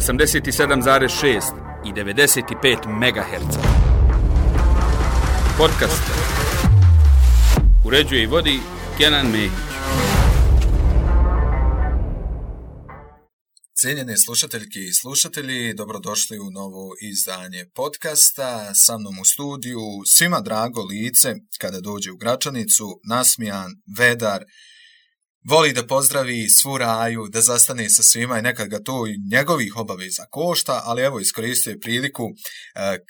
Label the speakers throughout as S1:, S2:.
S1: 87,6 i 95 MHz. Podcast uređuje i vodi Kenan Mehić.
S2: Cijenjene slušateljke i slušatelji, dobrodošli u novo izdanje podcasta. Sa mnom u studiju svima drago lice kada dođe u Gračanicu, nasmijan, vedar, voli da pozdravi svu raju, da zastane sa svima i nekad ga to i njegovih obaveza košta, ali evo iskoristio je priliku,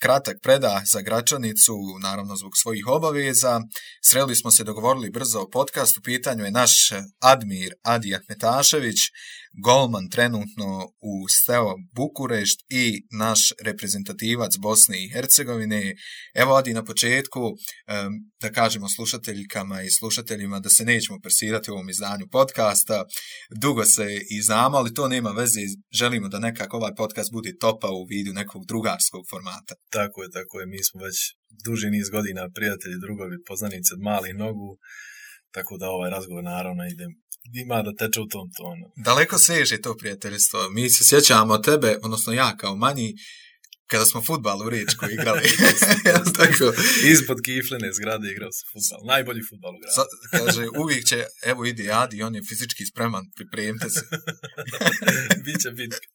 S2: kratak predah za Gračanicu, naravno zbog svojih obaveza. Sreli smo se, dogovorili brzo o podcastu, u pitanju je naš Admir Adi Ahmetašević, golman trenutno u Steaua Bukurešt i naš reprezentativac Bosne i Hercegovine. Evo Adi, na početku da kažemo slušateljkama i slušateljima da se nećemo persirati u ovom izdanju podcasta. Dugo se i znamo, ali to nema veze. Želimo da nekako ovaj podcast bude topa u vidu nekog drugarskog formata.
S3: Tako je. Mi smo već duži niz godina prijatelji, drugovi, poznanici od malih nogu. Tako da ovaj razgovor naravno ima da teče u tom tonu.
S2: Daleko seže to prijateljstvo. Mi se sjećamo tebe, odnosno ja kao manji, kada smo fudbal u Riječkoj igrali. Tako.
S3: Ispod kiflene zgrade igrao se fudbal. Najbolji fudbal u gradu.
S2: Kaže, uvijek će, evo ide Adi, on je fizički spreman, pripremite se.
S3: Biće bitka.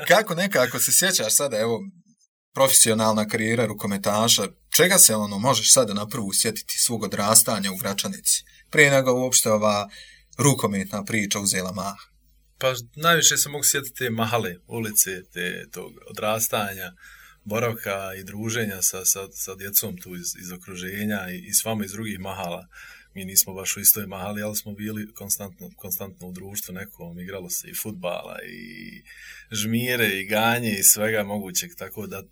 S2: Kako nekako se sjećaš sada, evo, profesionalna karijera rukometaša, čega se možeš sada na prvu sjetiti svog odrastanja u Gračanici? Prije nego uopšte ova rukometna priča uzela maha.
S3: Pa najviše se mogu sjetiti te mahale ulice, tog odrastanja, boravka i druženja sa djecom tu iz okruženja i s vama iz drugih mahala. Mi nismo baš u istoj mahali, ali smo bili konstantno u društvu nekom, igralo se i fudbala i žmire i ganje i svega mogućeg, tako da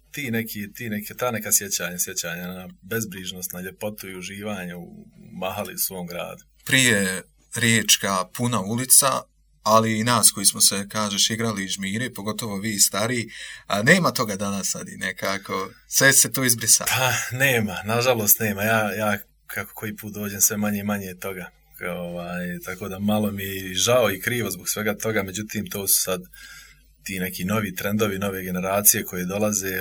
S3: ta neka sjećanja na bezbrižnost, na ljepotu i uživanje u mahali u svom gradu.
S2: Prije Riječka puna ulica, ali i nas koji smo se, kažeš, igrali i žmire, pogotovo vi stariji, a nema toga danas sad i nekako, sve se to izbrisa.
S3: Pa nema, nažalost nema, ja kako koji put dođem sve manje i manje toga, tako da malo mi je žao i krivo zbog svega toga, međutim to su sad ti neki novi trendovi, nove generacije koje dolaze,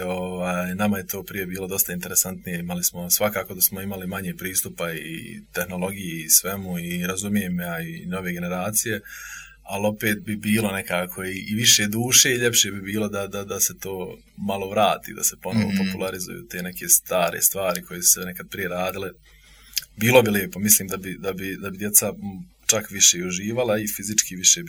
S3: nama je to prije bilo dosta interesantnije, svakako da smo imali manje pristupa i tehnologiji i svemu i razumijem ja i nove generacije, ali opet bi bilo nekako i više duše i ljepše bi bilo da se to malo vrati, da se ponovo popularizuju te neke stare stvari koje su se nekad prije radile. Bilo bi lijepo, mislim da bi djeca čak više i uživala i fizički više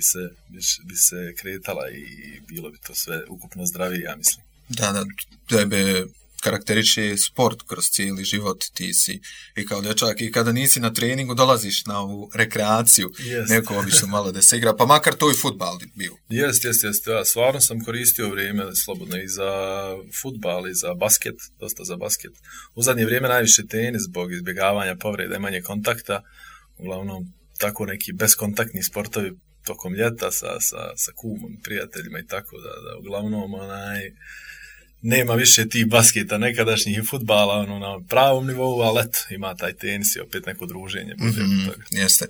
S3: bi se kretala i bilo bi to sve ukupno zdravije, ja mislim.
S2: Da, tebe karakteriše sport kroz cijeli život, ti si i kao dječak i kada nisi na treningu dolaziš na ovu rekreaciju, neko obično malo da se igra, pa makar to i fudbal bio.
S3: Jeste, ja stvarno sam koristio vrijeme slobodno i za fudbal i za basket, dosta za basket. U zadnje vrijeme najviše tenis zbog izbjegavanja povreda i manje kontakta, uglavnom tako neki beskontaktni sportovi tokom ljeta sa kumom, prijateljima i tako da uglavnom nema više tih basketa nekadašnjih i fudbala na pravom nivou, ali eto, ima taj tenis i opet neko druženje.
S2: Jeste.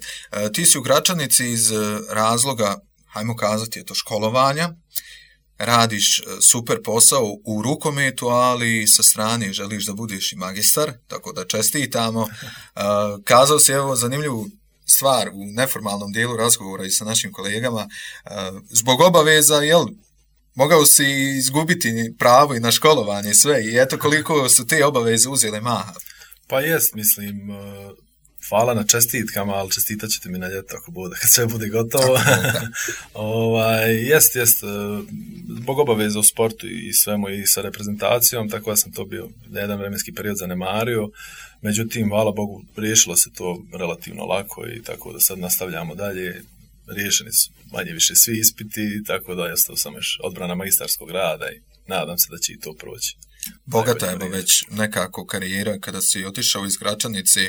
S2: Ti si u Gračanici iz razloga, hajmo kazati, je to školovanja, radiš super posao u rukometu, ali sa strane želiš da budeš i magistar, tako da čestitamo. Kazao si, evo, zanimljivu stvar u neformalnom dijelu razgovora i sa našim kolegama, zbog obaveza, mogao si izgubiti pravo i na školovanje sve i eto koliko su te obaveze uzele maha.
S3: Pa jest, mislim, hvala na čestitkama, ali čestitat ćete mi na ljeto ako bude, kad sve bude gotovo. Jest, zbog obaveza u sportu i svemu i sa reprezentacijom, tako da sam to bio na jedan vremenski period zanemario. Međutim, hvala Bogu, riješilo se to relativno lako i tako da sad nastavljamo dalje. Riješeni su manje više svi ispiti, tako da ostao sam još odbrana magistarskog rada i nadam se da će i to proći.
S2: Bogata je već nekako karijera, kada si otišao iz Gračanice,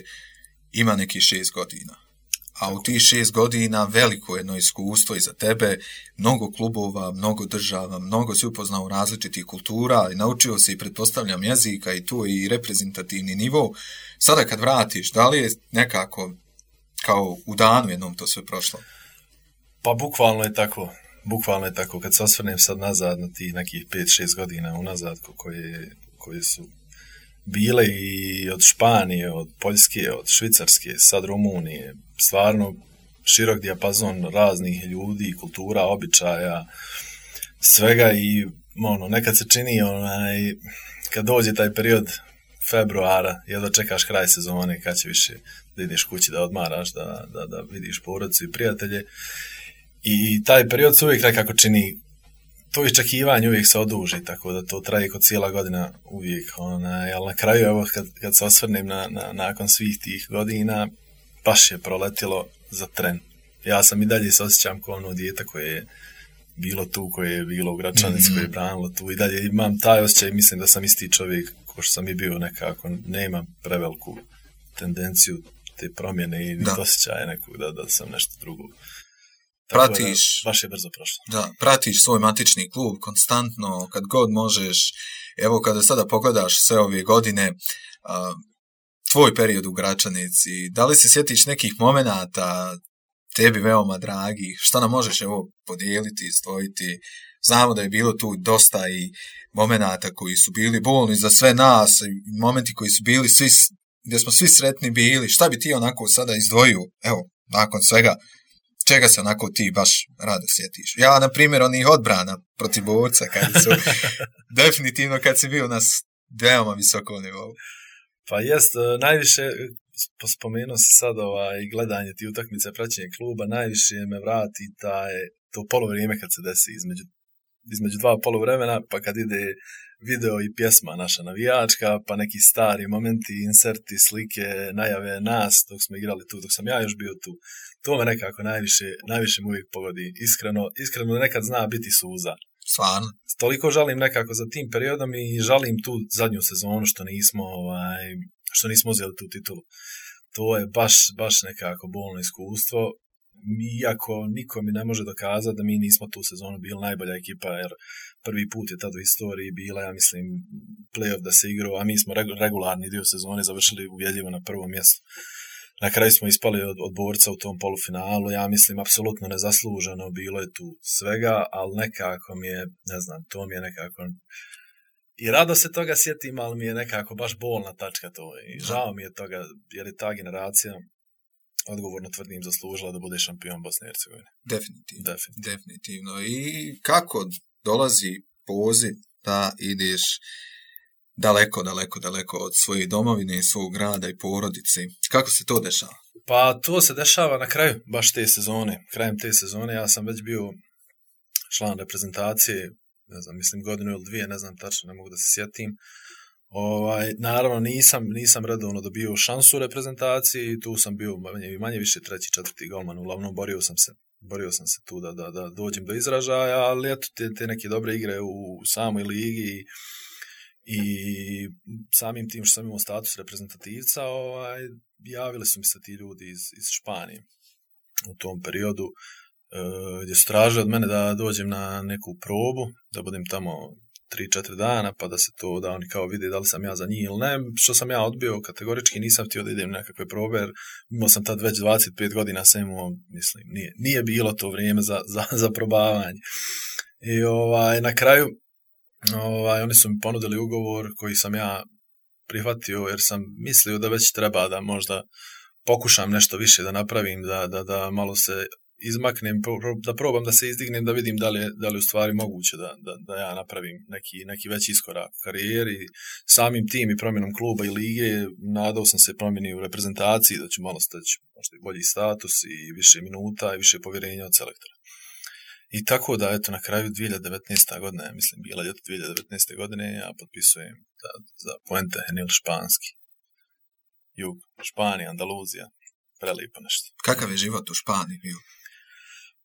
S2: ima nekih 6 godina. A u tih 6 godina veliko jedno iskustvo iza tebe, mnogo klubova, mnogo država, mnogo si upoznao različitih kultura i naučio si, pretpostavljam, jezika i tu i reprezentativni nivo. Sada kad vratiš, da li je nekako kao u danu jednom to sve prošlo?
S3: Pa bukvalno je tako. bukvalno je tako, kad se osvrnem sad nazad na ti nekih 5-6 godina unazad koje su bile i od Španije, od Poljske, od Švicarske, sad Rumunije, stvarno širok dijapazon raznih ljudi, kultura, običaja, svega i nekad se čini kad dođe taj period februara, jedva čekaš kraj sezone kad će više da ideš kući, da odmaraš, da vidiš porodicu i prijatelje. I taj period se uvijek nekako čini, to iščekivanje uvijek se oduži, tako da to traje kod cijela godina uvijek. Ali na kraju, evo, kad se osvrnem nakon svih tih godina, baš je proletilo za tren. Ja sam i dalje se osjećam kao ono dijete koje je bilo tu, koje je bilo u Gračanici, koje je branilo tu. I dalje imam taj osjećaj, mislim da sam isti čovjek ko što sam i bio nekako. Nema preveliku tendenciju te promjene i osjećaje nekog da sam nešto drugo.
S2: Pratiš,
S3: baš je brzo prošlo.
S2: Da, pratiš svoj matični klub konstantno, kad god možeš. Evo, kada sada pogledaš sve ove godine, tvoj period u Gračanici, da li se sjetiš nekih momenata tebi veoma dragih, što nam možeš podijeliti, izdvojiti? Znamo da je bilo tu dosta i momenata koji su bili bolni za sve nas, i momenti koji su bili svi, gdje smo svi sretni bili. Šta bi ti onako sada izdvojio, evo, nakon svega, čega se onako ti baš rado sjetiš? Ja, na primjer, onih odbrana protiv Borca, kad su definitivno kad si bio na veoma visokom nivou.
S3: Pa jest, najviše, spomenuo si sad gledanje ti utakmice, praćenje kluba, najviše me vrati to polovrijeme kad se desi između dva poluvremena, pa kad ide video i pjesma naša navijačka, pa neki stari momenti, inserti, slike, najave nas dok smo igrali tu, dok sam ja još bio tu. To me nekako najviše mu uvijek pogodi. Iskreno nekad zna biti suza.
S2: Stvarno.
S3: Toliko žalim nekako za tim periodom i žalim tu zadnju sezonu što nismo uzeli tu titulu. To je baš nekako bolno iskustvo. Iako niko mi ne može dokazati da mi nismo tu sezonu bili najbolja ekipa, jer prvi put je tad u istoriji bila, ja mislim, play-off da se igrao, a mi smo regularni dio sezone završili ubjedljivo na prvom mjestu. Na kraju smo ispali od Borca u tom polufinalu, ja mislim, apsolutno nezasluženo, bilo je tu svega, ali nekako mi je, ne znam, to mi je nekako... I rado se toga sjetim, ali mi je nekako baš bolna tačka to. I žao mi je toga, jer je ta generacija, odgovorno tvrdim, zaslužila da bude šampion Bosne i Hercegovine.
S2: Definitivno. I kako dolazi poziv da ideš daleko od svoje domovine i svog grada i porodice? Kako se to dešava?
S3: Pa to se dešava na kraju baš te sezone. Krajem te sezone ja sam već bio član reprezentacije, ne znam, mislim godinu ili dvije, ne znam tačno, ne mogu da se sjetim. Naravno nisam redovno dobio šansu u reprezentaciji, tu sam bio manje više 3., 4. golman, uglavnom borio sam se tu da dođem do izražaja, ali eto te neke dobre igre u samoj ligi i samim tim što sam imao status reprezentativca, javili su mi se ti ljudi iz Španije u tom periodu, gdje su tražili od mene da dođem na neku probu, da budem tamo 3-4 dana, pa da oni kao vide da li sam ja za njih ili ne, što sam ja odbio kategorički, nisam htio da idem na nekakve probe, jer imao sam tad već 25 godina, sam imao, mislim, nije bilo to vrijeme za probavanje. I na kraju oni su mi ponudili ugovor koji sam ja prihvatio, jer sam mislio da već treba da možda pokušam nešto više da napravim, da malo se izmaknem, da probam da se izdignem, da vidim da li je u stvari moguće da ja napravim neki veći iskorak u karijeri. Samim tim i promjenom kluba i lige nadao sam se promjeni u reprezentaciji, da ću malo steći možda i bolji status i više minuta i više povjerenja od selektora. I tako da, eto, na kraju 2019. godine, mislim, bila ljeto 2019. godine, ja potpisujem za Puente Genil španski. Jug, Španija, Andaluzija, prelijepo nešto.
S2: Kakav je život u Španiji bio?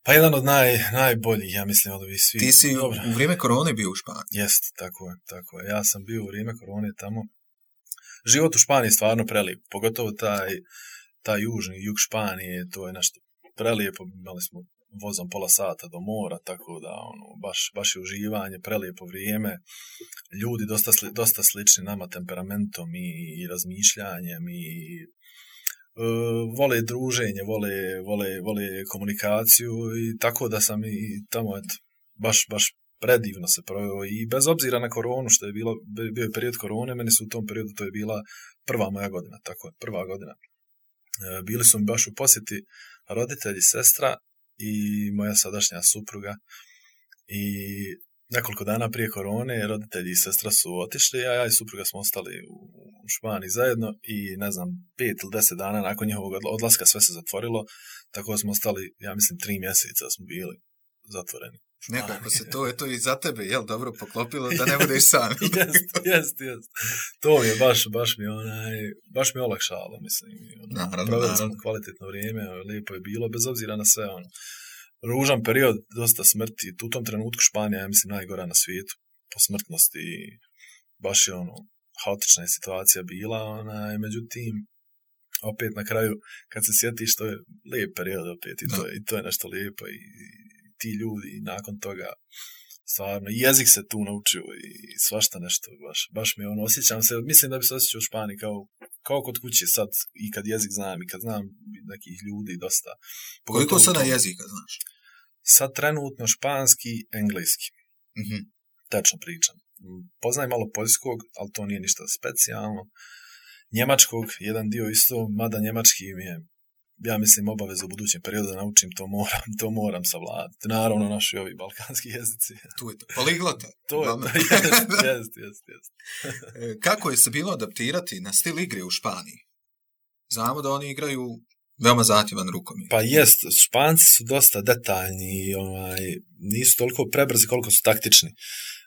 S3: Pa jedan od najboljih, ja mislim, od ovih svih.
S2: Ti si u vrijeme korone bio u Španiji?
S3: Jest, tako je. Ja sam bio u vrijeme korone tamo. Život u Španiji je stvarno prelijep, pogotovo taj južni jug Španije, to je nešto prelijepo. Imali smo vozom pola sata do mora, tako da baš je uživanje, prelijepo vrijeme. Ljudi dosta slični nama temperamentom i razmišljanjem i vole druženje, vole komunikaciju i tako da sam i tamo baš predivno se proveo i bez obzira na koronu što je bio je period korone, meni su u tom periodu to je bila prva moja godina, tako je, prva godina. Bili su mi baš u posjeti roditelji, sestra i moja sadašnja supruga i nekoliko dana prije korone roditelji i sestra su otišli, a ja i supruga smo ostali u Španiji zajedno i ne znam, 5 ili 10 dana nakon njihovog odlaska sve se zatvorilo, tako da smo ostali, ja mislim, 3 mjeseca smo bili zatvoreni.
S2: Nekako se to je to i za tebe, jel, dobro poklopilo da ne budeš sam.
S3: Jest. To mi je baš mi olakšalo, mislim. Proveli smo kvalitetno vrijeme, lijepo je bilo, bez obzira na sve, ružan period, dosta smrti. U tom trenutku Španija je, mislim, najgora na svijetu po smrtnosti. Baš je haotična je situacija bila, međutim, opet na kraju, kad se sjetiš, to je lijep period opet i to je nešto lijepo i ti ljudi nakon toga stvarno, jezik se tu naučio i svašta nešto, baš mi osjećam se, mislim da bi se osjećao u Španiji kao kod kuće sad i kad jezik znam i kad znam nekih ljudi dosta.
S2: Koliko sada jezika znaš?
S3: Sad trenutno španski, engleski.
S2: Mm-hmm.
S3: Tečno pričam. Poznajem malo poljskog, ali to nije ništa specijalno. Njemačkog, jedan dio isto, mada njemački mi je, ja mislim, obaveza u budućem periodu da naučim, to moram savladati. Naravno, naši ovi balkanski jezici.
S2: Tu je to. Poliglota.
S3: Jest.
S2: Kako je se bilo adaptirati na stil igre u Španiji? Znamo da oni igraju veoma zahtjevan rukomet.
S3: Pa jest, Španci su dosta detaljni, nisu toliko prebrzi koliko su taktični.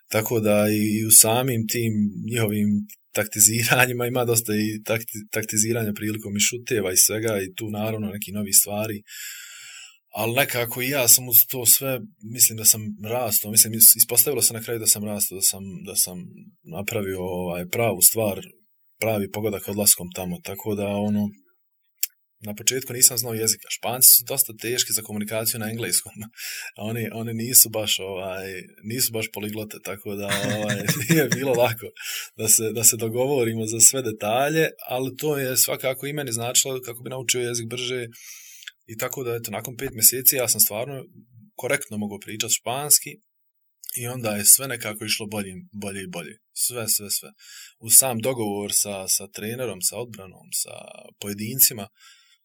S3: Tako da i u samim tim njihovim taktiziranjima ima dosta i taktiziranja prilikom i šuteva i svega i tu naravno neki novi stvari. Ali nekako i ja sam uz to sve, mislim da sam rastao, mislim ispostavilo se na kraju da sam rastao, da sam napravio pravu stvar, pravi pogodak odlaskom tamo, tako da na početku nisam znao jezika. Španci su dosta teški za komunikaciju na engleskom. Oni nisu baš poliglote, tako da nije bilo lako da se dogovorimo za sve detalje, ali to je svakako i meni značilo kako bi naučio jezik brže. I tako da, nakon 5 mjeseci ja sam stvarno korektno mogao pričati španski i onda je sve nekako išlo bolje i bolje. Sve. Uz sam dogovor sa trenerom, sa odbranom, sa pojedincima,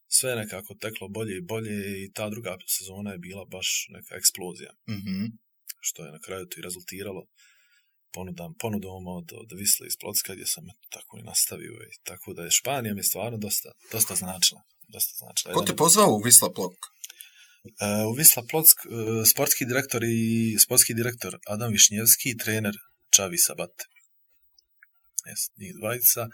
S3: sve nekako teklo bolje i bolje i ta druga sezona je bila baš neka eksplozija.
S2: Mm-hmm.
S3: Što je na kraju to i rezultiralo ponudom od Wisle iz Plocka gdje sam tako i nastavio. I tako da je Španija mi stvarno dosta značila.
S2: Ko te pozvao u Wisla Plock?
S3: U Wisla Plock sportski direktor Adam Višnjevski i trener Xavi Sabate. Njih dvojica.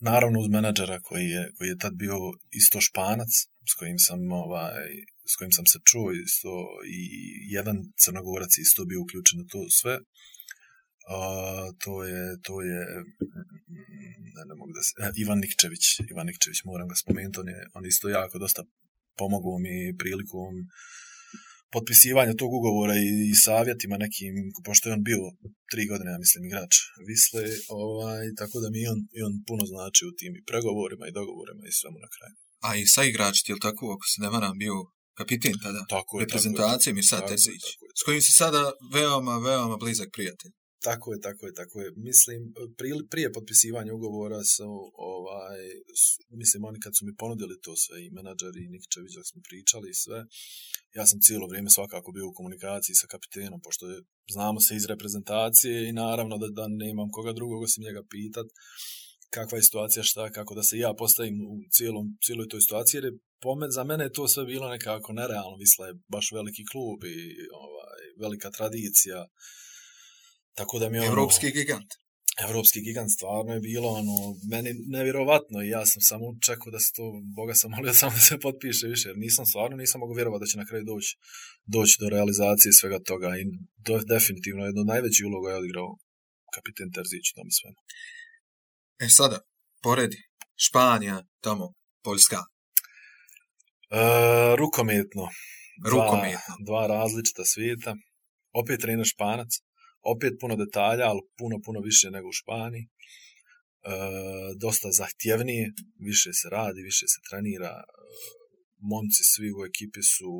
S3: Naravno uz menadžera koji je tad bio isto Španac, s kojim sam se čuo isto, i jedan Crnogorac isto bio uključen u to sve. To je ne mogu da se, Ivan Nikčević, moram ga spomenuti, on isto jako dosta pomogao mi prilikom potpisivanja tog ugovora i savjetima nekim, pošto je on bio 3 godine, ja mislim, igrač Wisle, tako da mi on puno znači u tim i pregovorima i dogovorima i svemu na kraju.
S2: A i sa igračiti, je li tako, ako se ne varam, bio kapiten tada?
S3: Tako je.
S2: Reprezentacije Mirsad Terzić, s kojim si sada veoma blizak prijatelj.
S3: Tako je. Mislim, prije potpisivanja ugovora mislim, oni kad su mi ponudili to sve, i menadžer i Nikčević, dok smo pričali i sve, ja sam cijelo vrijeme svakako bio u komunikaciji sa kapitenom, pošto znamo se iz reprezentacije i naravno da nemam koga drugog osim njega pitat kakva je situacija, šta, kako da se ja postavim u cijeloj toj situaciji, jer za mene je to sve bilo nekako nerealno. Wisla je baš veliki klub i velika tradicija. Tako da mi Evropski gigant stvarno je bilo meni nevjerovatno i ja sam samo čekao da se to, Boga sam molio samo da se potpiše više, jer nisam mogao vjerovati da će na kraju doći do realizacije svega toga i definitivno jedno od najvećih uloga je odigrao kapiten Terzić u tome svemu.
S2: Sada, poredi, Španija, tamo, Poljska.
S3: Rukometno. Dva različita svijeta, opet trener Španac, opet puno detalja, ali puno više nego u Španiji. dosta zahtjevnije, više se radi, više se trenira, momci svi u ekipi su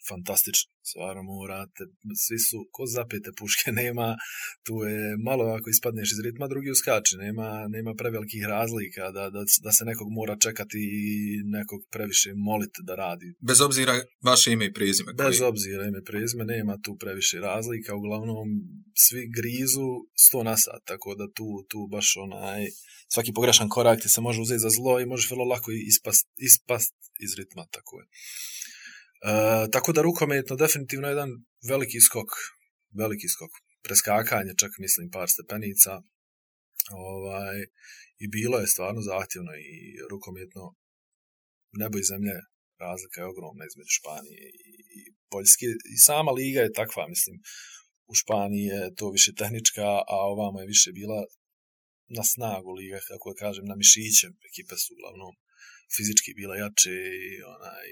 S3: fantastični, stvarno morate, svi su ko zapete puške, nema, tu je malo ako ispadneš iz ritma, drugi uskače, nema prevelikih razlika da se nekog mora čekati i nekog previše moliti da radi.
S2: Bez obzira vaše ime i prezime.
S3: Bez obzira ime i prezime, nema tu previše razlika, uglavnom svi grizu 100 na sat, tako da tu baš svaki pogrešan korak ti se može uzeti za zlo i možeš vrlo lako ispast iz ritma, tako je. Tako da rukometno definitivno jedan veliki skok, preskakanje, čak mislim par stepenica, i bilo je stvarno zahtjevno i rukometno nebo i zemlje, razlika je ogromna između Španije i Poljske i sama liga je takva, mislim, u Španiji je to više tehnička, a ovamo je više bila na snagu liga, kako da kažem, na mišiće, ekipe su uglavnom fizički bila jače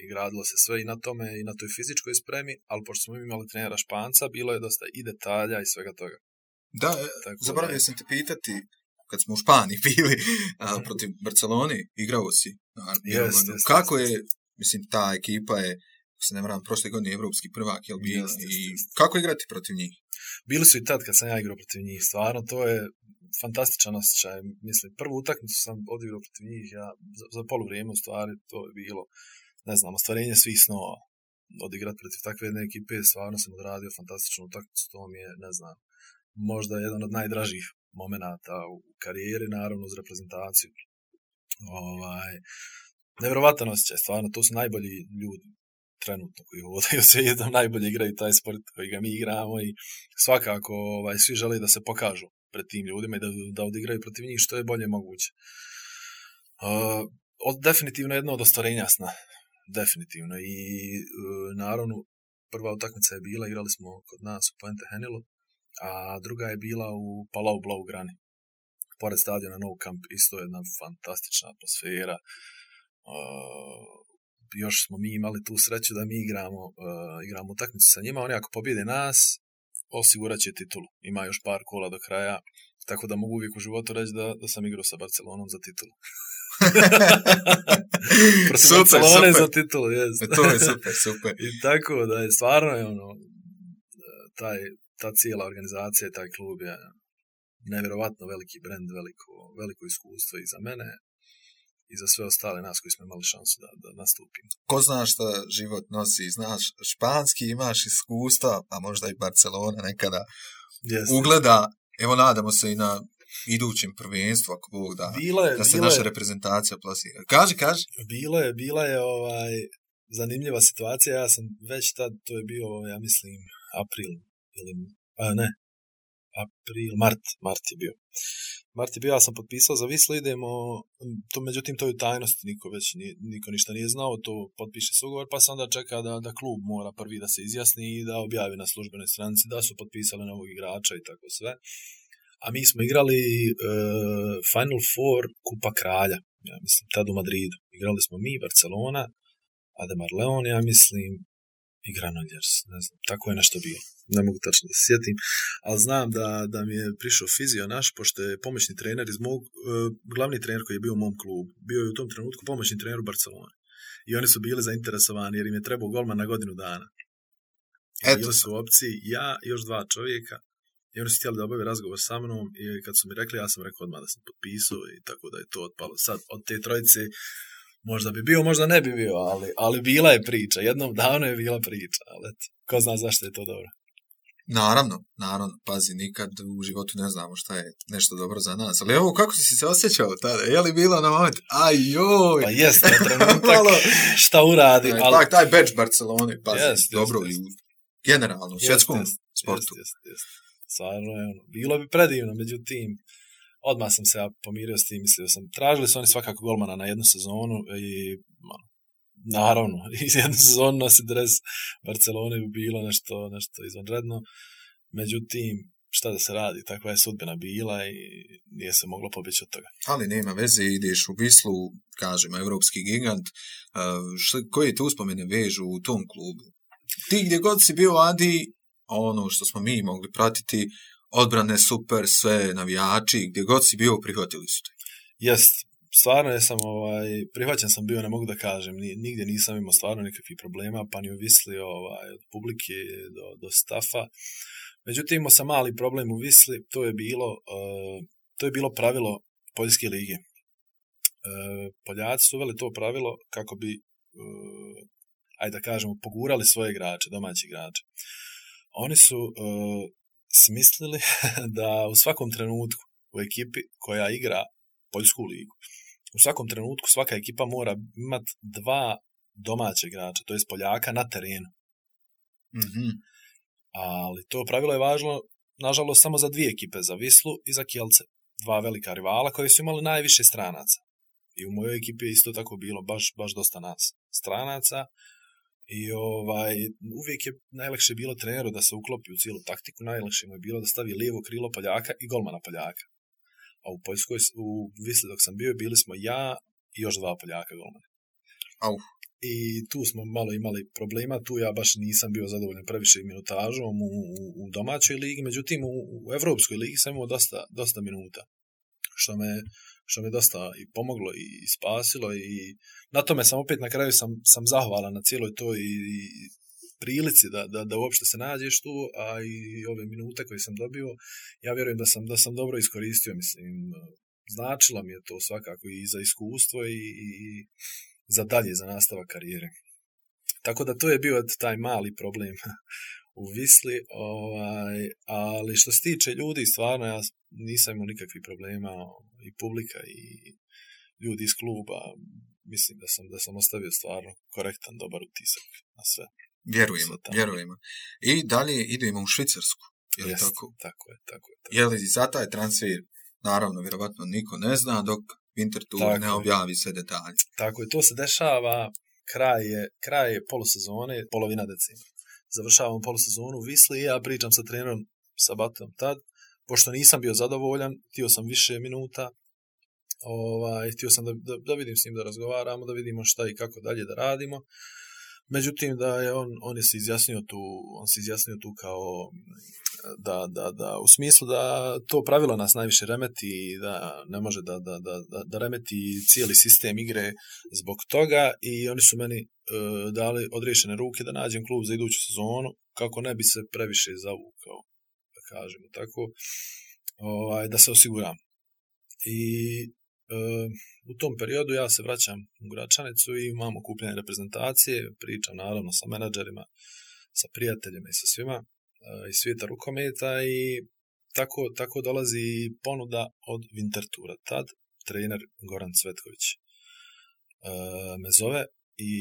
S3: i gradilo se sve i na tome i na toj fizičkoj spremi, ali pošto smo imali trenera Španca, bilo je dosta i detalja i svega toga.
S2: Da, zaboravio sam te pitati, kad smo u Španiji bili protiv Barcelone, igrao si. Kako je, mislim, ta ekipa je, ako se ne varam, prošle godine evropski prvak, jel bio? Kako igrati protiv njih?
S3: Bili su i tad kad sam ja igrao protiv njih, stvarno, to je fantastičan osjećaj. Mislim, prvu utakmicu sam odigrao protiv njih, za poluvrijeme u stvari, to je bilo, ne znam, ostvarenje svih snova. Odigrati protiv takve jedne ekipe, stvarno sam odradio fantastičnu utakmicu, to mi je, ne znam, možda jedan od najdražih momenata u karijeri, naravno uz reprezentaciju. Nevjerovatan osjećaj, stvarno, to su najbolji ljudi trenutno koji hodaju svijetom, najbolje igraju taj sport koji ga mi igramo i svakako svi žele da se pokažu pred tim ljudima i da odigraju protiv njih što je bolje moguće. Definitivno jedno od ostvarenja sna. Definitivno. I naravno, prva utakmica je bila, igrali smo kod nas u Puente Genilu, a druga je bila u Palau Blaugrani. Pored stadiona Nou Camp, isto jedna fantastična atmosfera. Još smo mi imali tu sreću da mi igramo utakmicu sa njima. Oni ako pobjede nas, osigurat će titulu. Ima još par kola do kraja, tako da mogu uvijek u životu reći da sam igrao sa Barcelonom za titulu.
S2: Super.
S3: Za titulu, jest.
S2: To je super.
S3: I tako da je stvarno ta cijela organizacija i taj klub je nevjerovatno veliki brend, veliko iskustvo i za mene i za sve ostale nas koji smo imali šansu da nastupimo.
S2: Ko zna šta život nosi, znaš, španski imaš iskustva, a možda i Barcelona nekada ugleda, evo nadamo se i na idućem prvenstvu, ako Bog da, da se naša reprezentacija plasira. Kaži.
S3: Bila je zanimljiva situacija, ja sam već tad, to je bio, ja mislim, Mart je bio, ja sam potpisao za Wislu, idemo, međutim to je u tajnosti, niko ništa nije znao, to potpiše se ugovor, pa se onda čeka da klub mora prvi da se izjasni i da objavi na službenoj stranici da su potpisali novog igrača i tako sve. A mi smo igrali Final Four Kupa Kralja, ja mislim, tad u Madridu. Igrali smo mi, Barcelona, Ademar Leon, ja mislim, i Granollers, ne znam, tako je nešto bilo. Ne mogu tačno da se sjetim, ali znam da mi je prišao fizio naš, pošto je pomoćni trener iz mog, glavni trener koji je bio u mom klubu, bio je u tom trenutku pomoćni trener u Barceloni. I oni su bili zainteresovani jer im je trebao golman na godinu dana. Bili su u opciji ja i još 2 čovjeka i oni su htjeli da obave razgovor sa mnom i kad su mi rekli, ja sam rekao odmah da sam potpisao i tako da je to otpalo. Sad od te trojice možda bi bio, možda ne bi bio, ali bila je priča. Jednom davno je bila priča, ali ko zna zašto je to dobro.
S2: Naravno, pazi, nikad u životu ne znamo šta je nešto dobro za nas. Ali evo, kako si se osjećao tada? Je li bilo na moment? Ajoj! Pa
S3: jest, na trenutak šta uradi.
S2: Ali taj badge Barcelone, pazi, dobro i generalno u svjetskom sportu.
S3: Stvarno je bilo bi predivno, međutim, odmah sam se pomirio s tim, mislio sam, tražili su oni svakako golmana na jednu sezonu i naravno, iz jednu sezonu nosi dres Barcelone bi bilo nešto izvanredno, međutim, šta da se radi, takva je sudbina bila i nije se moglo pobjeći od toga.
S2: Ali nema veze, ideš u Wislu, kažemo, evropski gigant, koje te uspomene vežu u tom klubu? Ti gdje god si bio, Adi, ono što smo mi mogli pratiti, odbrane super, sve navijači, gdje god si bio, prihvatili su te.
S3: Jest, stvarno jesam, prihvaćen sam bio, ne mogu da kažem, nigdje nisam imao stvarno nikakvih problema, pa ni u Visli od publike do stafa. Međutim, imao sam mali problem u Visli, to je bilo pravilo Poljske lige. Poljaci su uveli to pravilo kako bi, ajde da kažemo, pogurali svoje igrače, domaći igrače. Oni su smislili da u svakom trenutku u ekipi koja igra Poljsku ligu, u svakom trenutku svaka ekipa mora imati 2 domaća igrača, to jest Poljaka na terenu.
S2: Mhm.
S3: Ali to pravilo je važno, nažalost, samo za 2 ekipe, za Vislu i za Kielce. 2 velika rivala koji su imali najviše stranaca. I u mojoj ekipi je isto tako bilo, baš dosta nas stranaca. I uvijek je najlakše bilo treneru da se uklopi u cijelu taktiku, najlakše mu je bilo da stavi lijevo krilo Poljaka i golmana Poljaka. A u Poljskoj, u Visli dok sam bio, bili smo ja i još 2 Poljaka golmana.
S2: Au.
S3: I tu smo malo imali problema, tu ja baš nisam bio zadovoljan previše minutažom u domaćoj ligi, međutim u Evropskoj ligi sam imao dosta minuta, što me dosta i pomoglo i spasilo, i na tome sam opet na kraju sam zahvalan na cijeloj toj prilici da uopšte se nađeš tu, a i ove minute koje sam dobio, ja vjerujem da sam dobro iskoristio, mislim, značilo mi je to svakako i za iskustvo i za dalje, za nastavak karijere. Tako da to je bio taj mali problem u Visli, ali što se tiče ljudi, stvarno ja nisam imao nikakvih problema, i publika i ljudi iz kluba, mislim da sam ostavio stvarno korektan, dobar utisak na sve.
S2: Vjerujemo. I dalje idemo u Švicarsku.
S3: Jest, tako je.
S2: Je li za taj transfer, naravno, vjerovatno niko ne zna, dok Winterthur ne objavi sve detalje.
S3: Tako je, to se dešava, kraj je polusezone, polovina decembra. Završavamo polusezonu u Visli i ja pričam sa trenerom Sabatom tad, pošto nisam bio zadovoljan, htio sam više minuta, htio sam da vidim s njim, da razgovaramo, da vidimo šta i kako dalje da radimo. Međutim, da je on se izjasnio tu kao da u smislu da to pravilo nas najviše remeti i da ne može da remeti cijeli sistem igre zbog toga, i oni su meni dali odriješene ruke da nađem klub za iduću sezonu kako ne bi se previše zavukao, da kažemo tako, da se osiguram. I u tom periodu ja se vraćam u Gračanicu i imamo okupljanje reprezentacije, pričam naravno sa menadžerima, sa prijateljima i sa svima iz svijeta rukometa, i tako dolazi ponuda od Winterthura. Tad trener Goran Cvetković me zove, i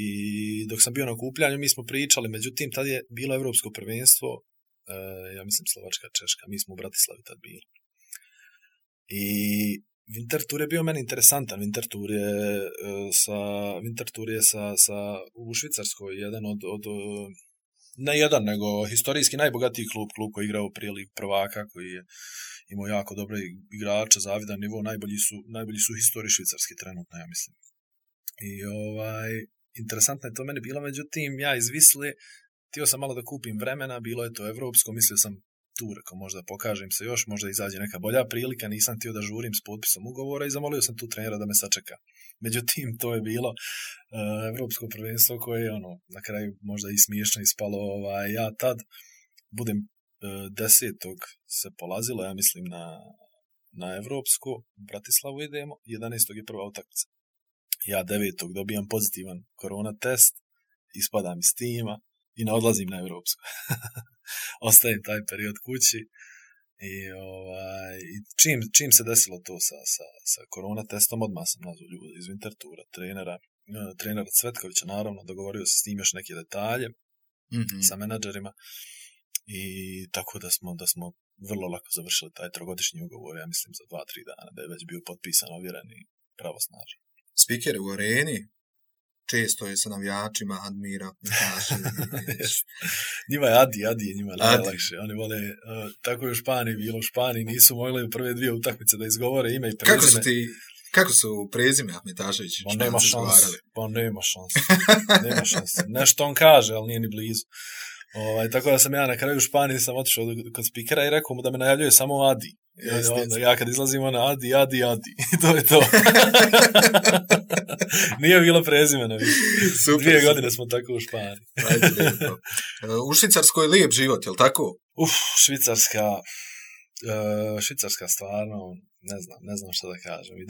S3: dok sam bio na okupljanju mi smo pričali, međutim tad je bilo Evropsko prvenstvo, ja mislim Slovačka, Češka, mi smo u Bratislavi tad bili. I Winterthur je bio meni interesantan. Winterthur je u Švicarskoj jedan od ne jedan, nego historijski najbogatiji klub koji je igrao prije Ligu prvaka, koji je imao jako dobre igrače, zavidan nivo, najbolji su u historiji švicarski trenutno, ja mislim. I interesantno je to meni bilo, međutim, ja iz Visle htio sam malo da kupim vremena, bilo je to evropsko, mislio sam tu, rekao, možda pokažem se još, možda izađe neka bolja prilika, nisam htio da žurim s potpisom ugovora i zamolio sam tu trenera da me sačeka. Međutim, to je bilo evropsko prvenstvo koje je na kraju možda i smiješno ispalo. Ja tad budem 10. se polazilo, ja mislim na evropsko, u Bratislavu idemo, 11. je prva utakmica. Ja 9. dobijam pozitivan korona test, ispadam iz tima i ne odlazim na evropsko. Ostajem taj period kući i čim se desilo to sa korona testom, odmah sam nazvao ljudi iz Winterthura, trenera Cvetkovića, naravno, dogovorio se s njim još neke detalje, sa menadžerima, i tako da smo vrlo lako završili taj 3-godišnji ugovor, ja mislim za 2-3 dana, da je već bio potpisan, ovjeren i pravosnažan.
S2: Spiker u areni često je sa navijačima admira.
S3: Njima je Adi je njima najlakše. Oni vole, tako je u Španiji bilo, u Španiji nisu mogli u prve 2 utakmice da izgovore ime i prezime.
S2: Kako su prezime Ahmetašević?
S3: Nema šanse. Nešto on kaže, ali nije ni blizu. Tako da sam ja na kraju u Španiji sam otišao kod spikera i rekao mu da me najavljuje samo Adi. Ja kad izlazim Adi, to je to. Nije bilo prezimena više. 2 godine smo tako u Španiji.
S2: U Švicarskoj je lijep život, je li tako?
S3: Švicarska stvarno, ne znam šta da kažem. I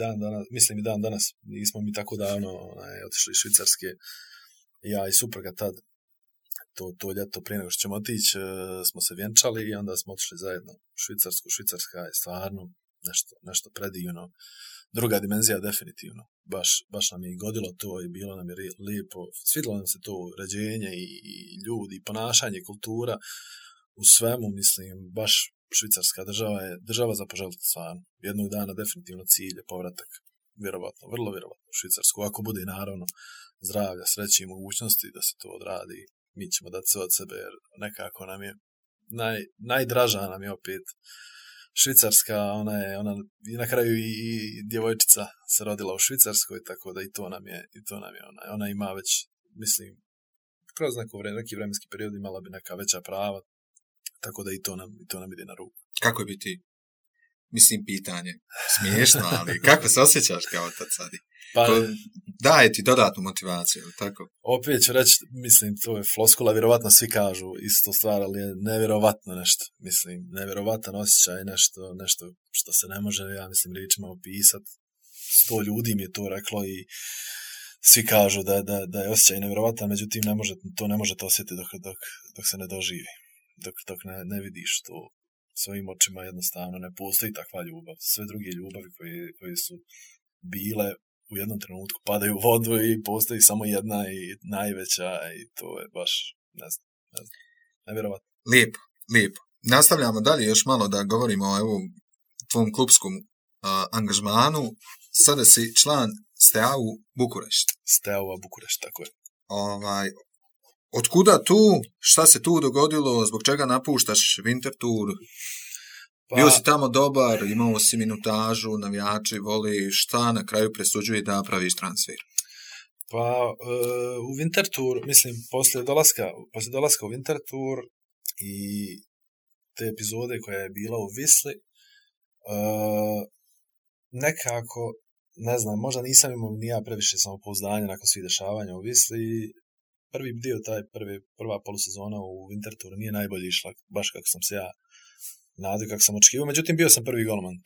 S3: dan danas nismo mi tako davno otišli iz Švicarske. Ja i supruga tad, to ljeto prije nego što ćemo otići, smo se vjenčali i onda smo otišli zajedno u Švicarsku. Švicarska je stvarno nešto predivno. Druga dimenzija definitivno. Baš nam je godilo to i bilo nam je lijepo. Svidjelo nam se to uređenje i ljudi, i ponašanje, kultura. U svemu, mislim, baš švicarska država je država za poželiti stvarno. Jednog dana definitivno cilj je povratak. Vjerovatno, vrlo vjerovatno u Švicarsku. Ako bude naravno zdravlja, sreće i mogućnosti da se to odradi, mi ćemo dati sve od sebe jer nekako nam je najdraža nam je opet Švicarska, ona na kraju i djevojčica se rodila u Švicarskoj, tako da i to nam je ona ima već, mislim, kroz neki vremenski period imala bi neka veća prava, tako da i to nam ide na ruku.
S2: Kako bi ti, mislim, pitanje, smiješno, ali kako se osjećaš kao otac sad? Daje ti dodatnu motivaciju, tako?
S3: Opet ću reći, mislim, to je floskula, vjerovatno svi kažu istu stvar, ali je nevjerovatno nešto, mislim, nevjerovatan osjećaj, nešto što se ne može, ja mislim, riječima opisati. 100 ljudi mi je to reklo i svi kažu da je osjećaj nevjerovatan, međutim, ne možete osjetiti dok se ne doživi, dok ne vidiš to svojim očima, jednostavno ne postoji takva ljubav. Sve druge ljubavi koje su bile u jednom trenutku padaju u vodu i postoji samo jedna i najveća i to je baš, ne znam, nevjerovatno.
S2: Lijepo. Nastavljamo dalje još malo da govorimo o tvom klubskom angažmanu. Sada si član Steaua Bukurešt.
S3: Steaua Bukurešt, tako je.
S2: Otkuda tu? Šta se tu dogodilo? Zbog čega napuštaš Winterthur? Bio si tamo dobar, imao si minutažu, navijači voli, šta na kraju presuđuje da praviš transfer?
S3: Pa u Winterthur, mislim, poslije dolaska u Winterthur i te epizode koja je bila u Visli, nekako, ne znam, možda nisam imao ni ja previše samopouzdanja nakon svih dešavanja u Visli. Prvi dio, prva polusezona u Winterthuru nije najbolje išla, baš kako sam se ja nadio, kako sam očekivao. Međutim, bio sam prvi golman.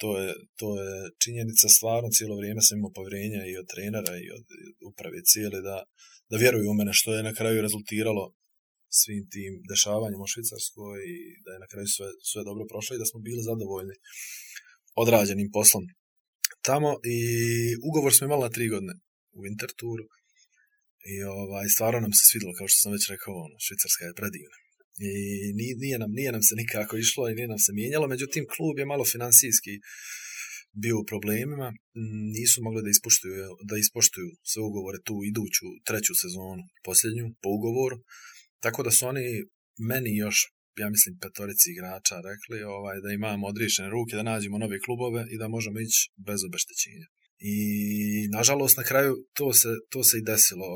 S3: To je činjenica, stvarno cijelo vrijeme sam imao povjerenja i od trenera i od uprave cijele da vjeruju u mene, što je na kraju rezultiralo svim tim dešavanjima u Švicarskoj i da je na kraju sve dobro prošlo i da smo bili zadovoljni odrađenim poslom tamo. I ugovor smo imali na 3 godine u Winterthuru. I stvarno nam se svidjelo, kao što sam već rekao, Švicarska je predivna. I nije nam se nikako išlo i nije nam se mijenjalo, međutim klub je malo financijski bio u problemima, nisu mogli da ispoštuju sve ugovore tu iduću 3. sezonu, posljednju, po ugovoru, tako da su oni meni još, ja mislim, 5 igrača rekli da imamo odriješene ruke, da nađemo nove klubove i da možemo ići bez obeštećenja. I nažalost na kraju to se i desilo,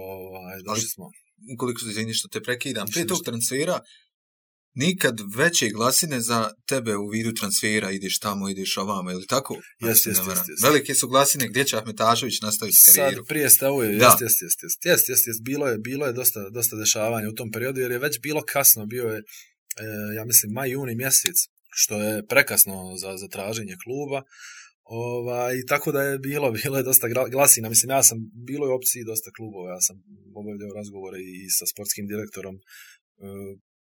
S3: došli smo.
S2: Ukoliko se izvini što te prekidam, prije tog transfera nikad veće glasine za tebe u vidu transfera, ideš tamo, ideš ovamo, ili tako?
S3: Jeste.
S2: Velike su glasine, gdje će Ahmetašević nastaviti karijeru?
S3: Sad prije Steaua, jeste. Bilo je dosta dešavanja u tom periodu, jer je već bilo kasno, bio je, ja mislim, maj, juni mjesec, što je prekasno za traženje kluba. I tako da je bilo je dosta glasina, mislim, ja sam bilo je opciji dosta klubova, ja sam obavljao razgovore i sa sportskim direktorom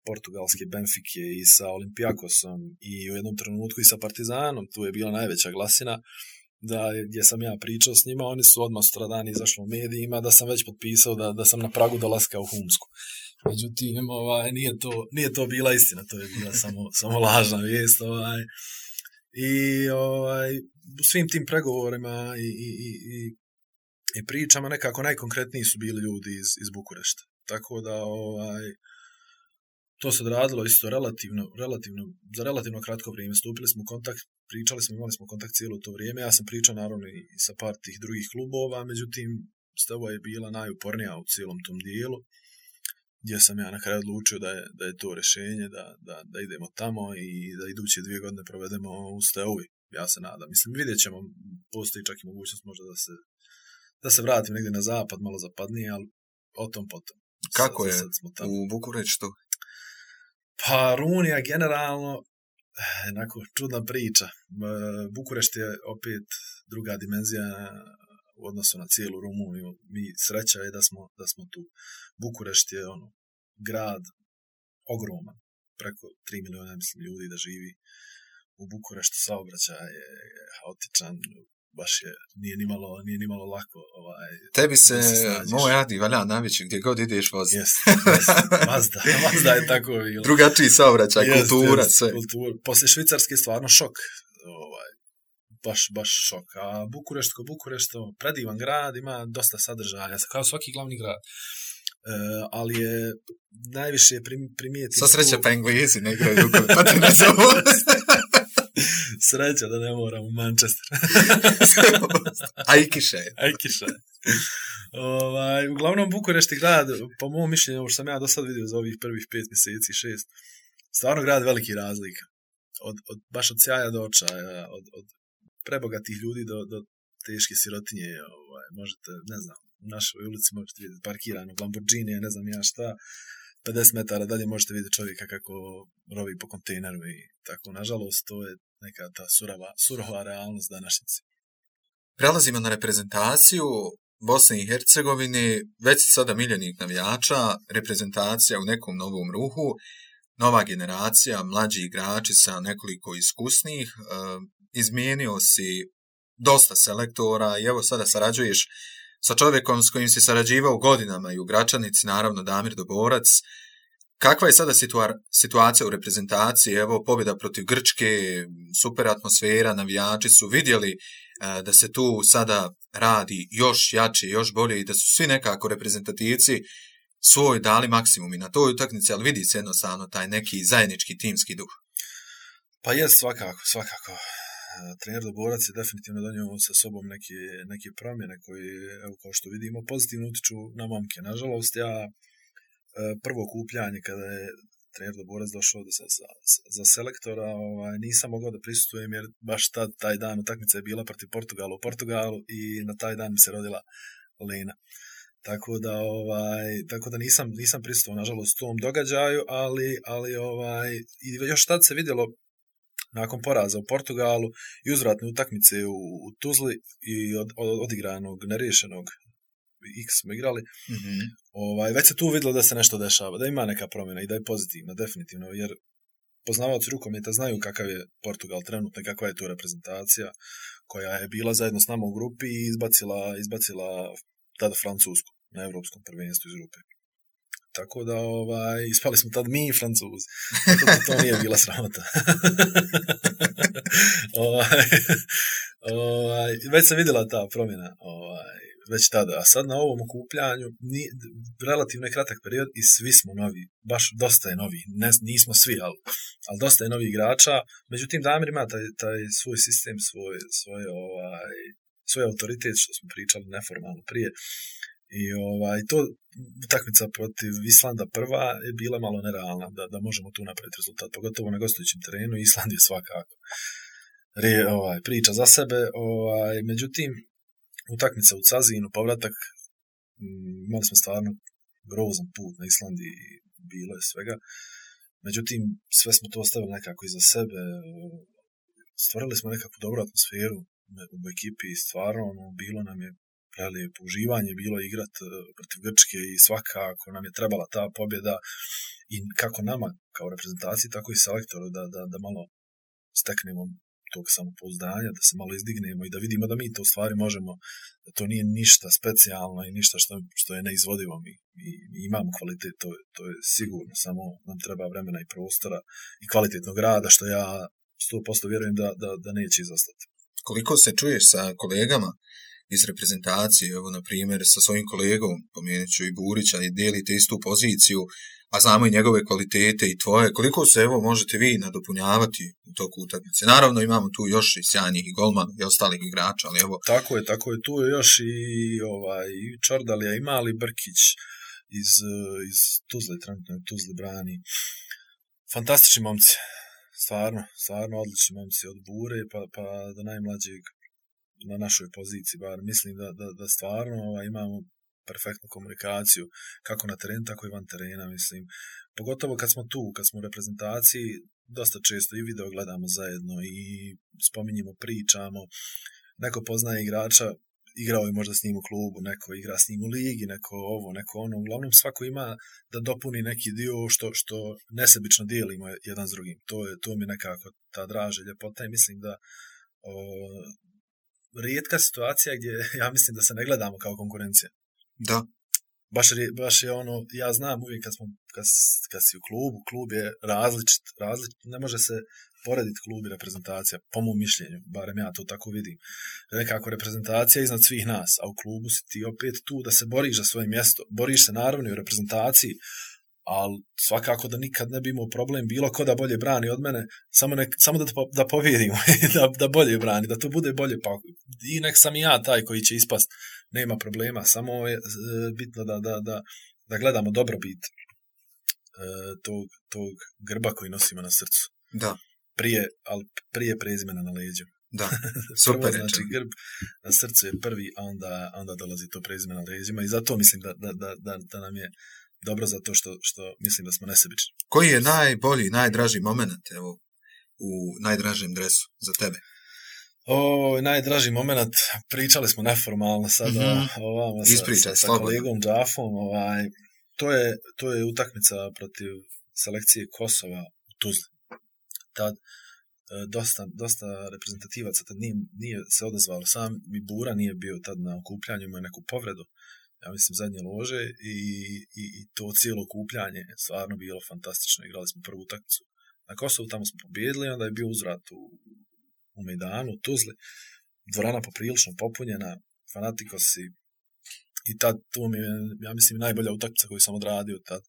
S3: portugalske Benfike i sa Olympiakosom i u jednom trenutku i sa Partizanom, tu je bila najveća glasina, gdje sam ja pričao s njima, oni su odmah sutradan izašli u medijima da sam već potpisao da sam na pragu dolaska u Humsku. Međutim, nije to bila istina, to je bila samo lažna vijest, I u svim tim pregovorima i pričama nekako najkonkretniji su bili ljudi iz Bukurešta. Tako da to se odradilo isto za relativno kratko vrijeme. Stupili smo u kontakt, pričali smo, imali smo kontakt cijelo to vrijeme. Ja sam pričao naravno i sa par tih drugih klubova, međutim Steaua je bila najupornija u cijelom tom dijelu, gdje sam ja na kraju odlučio da je to rješenje, da idemo tamo i da iduće 2 godine provedemo u Steaui. ja se nadam. Mislim, vidjet ćemo, postoji čak i mogućnost možda da se vratim negdje na zapad, malo zapadnije, ali o tom potom.
S2: Kako je u Bukureštu?
S3: Pa Rumunija generalno, onako čudna priča. Bukurešt je opet druga dimenzija u odnosu na cijelu Rumuniju. Mi sreća je da smo tu. Bukurešt je grad ogroman, preko 3 miliona mislim, ljudi da živi u Bukureštu, saobraćaj je haotičan, baš nije ni malo lako.
S2: Tebi se moj Adi valja navići gdje god ideš vozi.
S3: Yes. Mazda je tako bilo.
S2: Drugačiji saobraćaj, kultura, sve.
S3: Poslije Švicarske stvarno šok. Baš šok. A Bukurešt, predivan grad, ima dosta sadržaja, kao svaki glavni grad. Ali je najviše primijetio...
S2: Sa sreće pa Englezi ne igraju rukomet, pa ti ne zovu.
S3: Sreća da ne moram u Manchester.
S2: Ajkiše.
S3: Uglavnom Bukurešt je grad, po mom mišljenju, ovo što sam ja do sad vidio za ovih prvih 5 mjeseci, 6, stvarno grad veliki razlika. Baš od sjaja do očaja, od prebogatih ljudi do teške sirotinje. Možete, ne znam, u našoj ulici možete vidjeti parkirano Lamborghini, ne znam ja šta, 50 metara dalje možete vidjeti čovjeka kako rovi po kontejneru i tako. Nažalost, to je neka ta surova realnost današnjice.
S2: Prelazimo na reprezentaciju Bosne i Hercegovine, već si sada miljenik navijača, reprezentacija u nekom novom ruhu, nova generacija, mlađi igrači sa nekoliko iskusnih, izmijenio si dosta selektora i evo sada sarađuješ sa čovjekom s kojim si sarađivao godinama i u Gračanici, naravno Damir Doborac. Kakva je sada situacija u reprezentaciji? Evo, pobjeda protiv Grčke, super atmosfera, navijači su vidjeli da se tu sada radi još jače, još bolje i da su svi nekako reprezentativci svoj dali maksimum i na toj utakmici, ali vidi se jednostavno taj neki zajednički timski duh.
S3: Pa je, svakako. Trener Doborac je definitivno donio sa sobom neke promjene koje, evo, kao što vidimo, pozitivno utiču na momke. Nažalost, ja prvo okupljanje kada je trener Doborac došao za selektora, nisam mogao da prisustvujem jer baš taj dan utakmica je bila protiv Portugala u Portugalu i na taj dan mi se rodila Lena. Tako da nisam prisustvovao nažalost tom događaju, ali i još tad se vidjelo nakon poraza u Portugalu i uzvratne utakmice u Tuzli i odigranog neriješenog X smo igrali, već se tu vidjelo da se nešto dešava, da ima neka promjena i da je pozitivna, definitivno, jer poznavaoci rukometa znaju kakav je Portugal trenutno i kakva je to reprezentacija koja je bila zajedno s nama u grupi i izbacila tada Francusku na Evropskom prvenstvu iz grupe. Tako da ispali smo tad mi Francuzi. Tako da to nije bila sramota. Već sam vidjela ta promjena već tada. A sad na ovom okupljanju relativno je kratak period i svi smo novi. Baš dosta je novi. Nismo svi, ali dosta je novih igrača. Međutim, Damir ima taj svoj sistem, svoj autoritet, što smo pričali neformalno prije. I to utakmica protiv Islanda prva je bila malo nerealna da možemo tu napraviti rezultat, pogotovo na gostujućem terenu. Island je svakako priča za sebe. Međutim, utakmica u Cazinu, povratak, imali smo stvarno grozan put na Islandi i bilo je svega. Međutim, sve smo to ostavili nekako iza sebe. Stvorili smo nekakvu dobru atmosferu u ekipi i stvarno bilo nam je prelijepo uživanje, bilo igrat protiv Grčke i svakako nam je trebala ta pobjeda i kako nama kao reprezentaciji, tako i selektoru da malo steknemo tog samopouzdanja, da se malo izdignemo i da vidimo da mi to u stvari možemo, da to nije ništa specijalno i ništa što je neizvodivo. Mi imamo kvalitet, to je sigurno, samo nam treba vremena i prostora i kvalitetnog rada, što ja 100% vjerujem da neće izostati.
S2: Koliko se čuješ sa kolegama iz reprezentacije, evo na primjer sa svojim kolegom, pomenut ću i Burića, i dijelite istu poziciju, a znamo i njegove kvalitete i tvoje, koliko se evo možete vi nadopunjavati u toku utakmice? Naravno imamo tu još i sjajnih i golmana i ostalih igrača, ali evo...
S3: Tako je, tu je još i Čordalija, i Mali Brkić iz Tuzle, trenutno Tuzle brani. Fantastični momci. stvarno odlični momci od Bure pa do najmlađeg na našoj poziciji, bar mislim da stvarno imamo perfektnu komunikaciju, kako na terenu, tako i van terena, mislim. Pogotovo kad smo tu, kad smo u reprezentaciji, dosta često i video gledamo zajedno i spominjemo, pričamo, neko poznaje igrača, igrao je možda s njim u klubu, neko igra s njim u ligi, neko ovo, neko ono, uglavnom svako ima da dopuni neki dio što nesebično dijelimo jedan s drugim. To mi nekako ta draža ljepota i mislim da rijetka situacija gdje ja mislim da se ne gledamo kao konkurencija.
S2: Da.
S3: Baš je ono, ja znam uvijek kad si u klubu, klub je različit, ne može se porediti klub i reprezentacija, po mom mišljenju, barem ja to tako vidim. Nekako reprezentacija iznad svih nas, a u klubu si ti opet tu da se boriš za svoje mjesto. Boriš se naravno i u reprezentaciji, ali svakako da nikad ne bi imao problem bilo ko da bolje brani od mene, samo da pobjedimo, da bolje brani, da to bude bolje, pa i nek sam i ja taj koji će ispast, nema problema, samo je bitno da gledamo dobrobit tog grba koji nosimo na srcu.
S2: Da.
S3: Prije prezimena na leđu.
S2: Da, super.
S3: Znači grb na srcu je prvi, a onda dolazi to prezime na leđima i zato mislim da nam je dobro zato što mislim da smo nesebični. Koji
S2: je najbolji, najdraži moment u najdražem dresu za tebe?
S3: Najdraži moment, pričali smo neformalno sada sa kolegom Džafom. To je utakmica protiv selekcije Kosova u Tuzli. Tad dosta reprezentativaca tad nije se odazvalo. Sam i Bura nije bio tad na okupljanju, imao neku povredu. Ja mislim zadnje lože i to cijelo okupljanje je stvarno bilo fantastično. Igrali smo prvu utakmicu na Kosovu, tamo smo pobjedili, onda je bio uzvrat u Mejdanu, u Tuzli. Dvorana poprilično popunjena, fanatikosi i tad to mi je, ja mislim, najbolja utakmica koju sam odradio tad.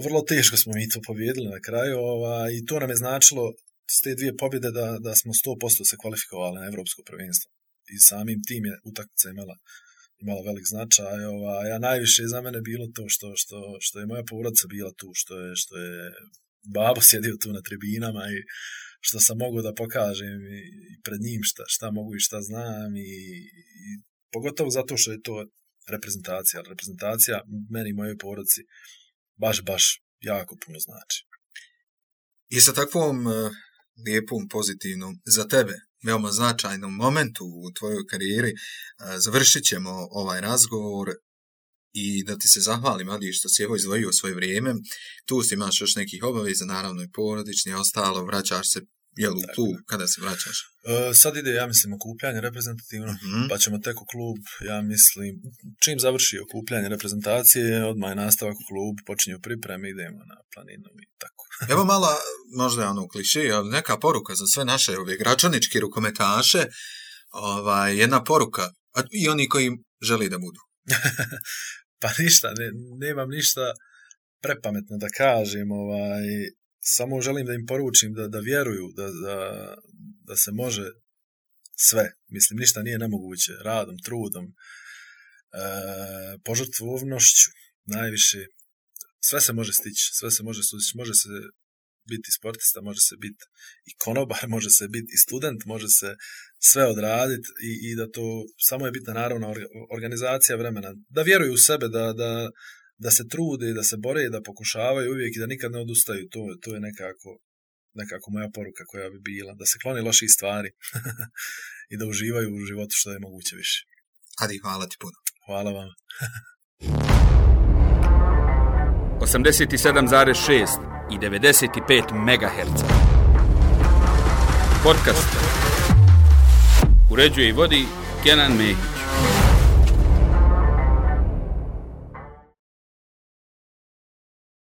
S3: Vrlo teško smo mi to pobjedili na kraju i to nam je značilo s te dvije pobjede da smo 100% se kvalifikovali na evropsko prvenstvo. I samim tim je utakmica imala velik značaj. A najviše za mene bilo to što je moja porodica bila tu, što je babo sjedio tu na tribinama i što sam mogao da pokažem i pred njim šta mogu i šta znam i pogotovo zato što je to reprezentacija. Reprezentacija meni i mojoj porodici baš jako puno znači.
S2: I sa takvom lijepom, pozitivnom, za tebe veoma značajnom momentu u tvojoj karijeri završit ćemo ovaj razgovor i da ti se zahvalim, Adi, što si izdvojio svoje vrijeme. Tu si imaš još nekih obaveza, naravno i porodični, ostalo, vraćaš se, tu kada se vraćaš?
S3: Sad ide, ja mislim, okupljanje reprezentativno, pa ćemo tek u klub, ja mislim, čim završi okupljanje reprezentacije, odmah je nastavak u klub, počinju pripreme, idemo na planinu i tako.
S2: Evo mala, možda je ono kliše, ali neka poruka za sve naše gračaničke rukometaše, jedna poruka, a i oni koji želi da budu.
S3: Pa ništa, nemam ništa prepametno da kažem, samo želim da im poručim da vjeruju, da se može sve. Mislim, ništa nije nemoguće. Radom, trudom, požrtvovnošću, najviše. Sve se može stići, sve se može sustići. Može se biti sportista, može se biti i konobar, može se biti i student, može se sve odraditi i da to samo je bitna naravno organizacija vremena. Da vjeruju u sebe, da se trude, da se bore, da pokušavaju uvijek i da nikad ne odustaju. To je nekako moja poruka koja bi bila. Da se klone loših stvari i da uživaju u životu što je moguće više.
S2: Adi, hvala ti puno.
S3: Hvala vam.
S1: 87,6 i 95 MHz. Podcast. Uređuje i vodi Kenan Mehić.